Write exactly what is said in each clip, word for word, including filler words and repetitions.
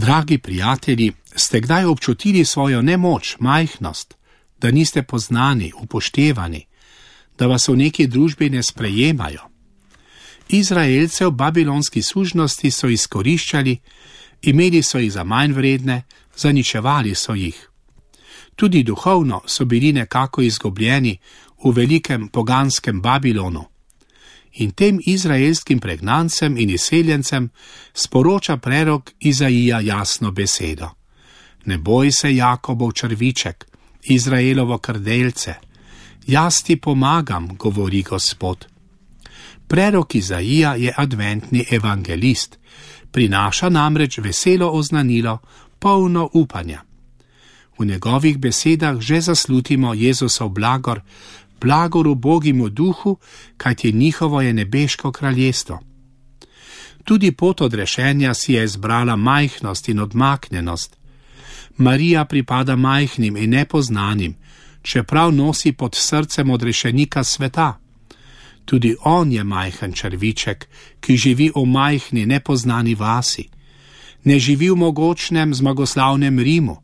Dragi prijatelji, ste kdaj občutili svojo nemoč, majhnost, da niste poznani, upoštevani, da vas v neki družbi ne sprejemajo? Izraelce v babilonski sužnosti so izkoriščali, imeli so jih za manj vredne, zaničevali so jih. Tudi duhovno so bili nekako izgubljeni v velikem poganskem Babilonu. In tem izraelskim pregnancem in izseljencem sporoča prerok Izaija jasno besedo. Ne boj se, Jakobov črviček, Izraelovo krdelce. Jaz ti pomagam, govori Gospod. Prerok Izaija je adventni evangelist, prinaša namreč veselo oznanilo, polno upanja. V njegovih besedah že zaslutimo Jezusov blagor, blagor ubogemu duhu, kajti njihovo je nebeško kraljestvo. Tudi pot odrešenja si je izbrala majhnost in odmaknjenost. Marija pripada majhnim in nepoznanim, čeprav nosi pod srcem odrešenika sveta. Tudi on je majhen črviček, ki živi v majhni, nepoznani vasi. Ne živi v mogočnem, zmagoslavnem Rimu,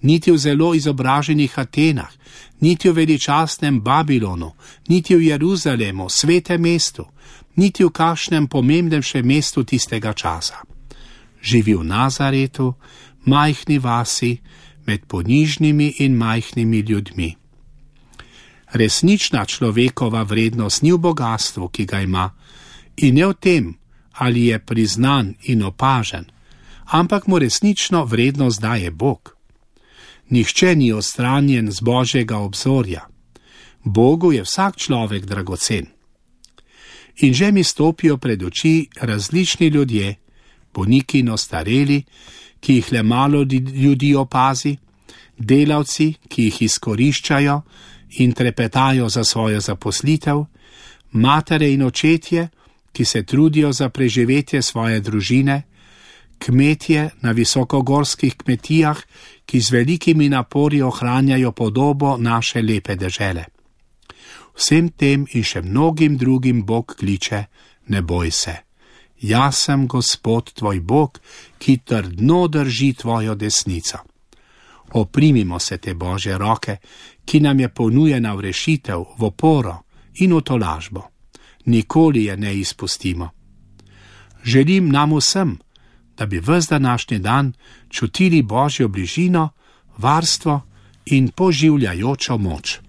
niti v zelo izobraženih Atenah, niti v veličastnem Babilonu, niti v Jeruzalemu, svetem mestu, niti v kakšnem pomembnejšem mestu tistega časa. Živi v Nazaretu, majhni vasi, med ponižnimi in majhnimi ljudmi. Resnična človekova vrednost ni v bogastvu, ki ga ima, in ne v tem, ali je priznan in opažen, ampak mu resnično vrednost daje Bog. Nihče ni odstranjen z Božjega obzorja. Bogu je vsak človek dragocen. In že mi stopijo pred oči različni ljudje, bolniki in ostareli, ki jih le malo ljudi opazi, delavci, ki jih izkoriščajo in trepetajo za svojo zaposlitev, matere in očetje, ki se trudijo za preživetje svoje družine, kmetje na visokogorskih kmetijah, ki z velikimi napori ohranjajo podobo naše lepe dežele. Vsem tem in še mnogim drugim Bog kliče, ne boj se. Jaz sem Gospod tvoj Bog, ki trdno drži tvojo desnico. Oprimimo se te Božje roke, ki nam je ponujena v rešitev, v oporo in v tolažbo. Nikoli je ne izpustimo. Želim nam vsem, da bi ves današnji dan čutili Božjo bližino, varstvo in poživljajočo moč.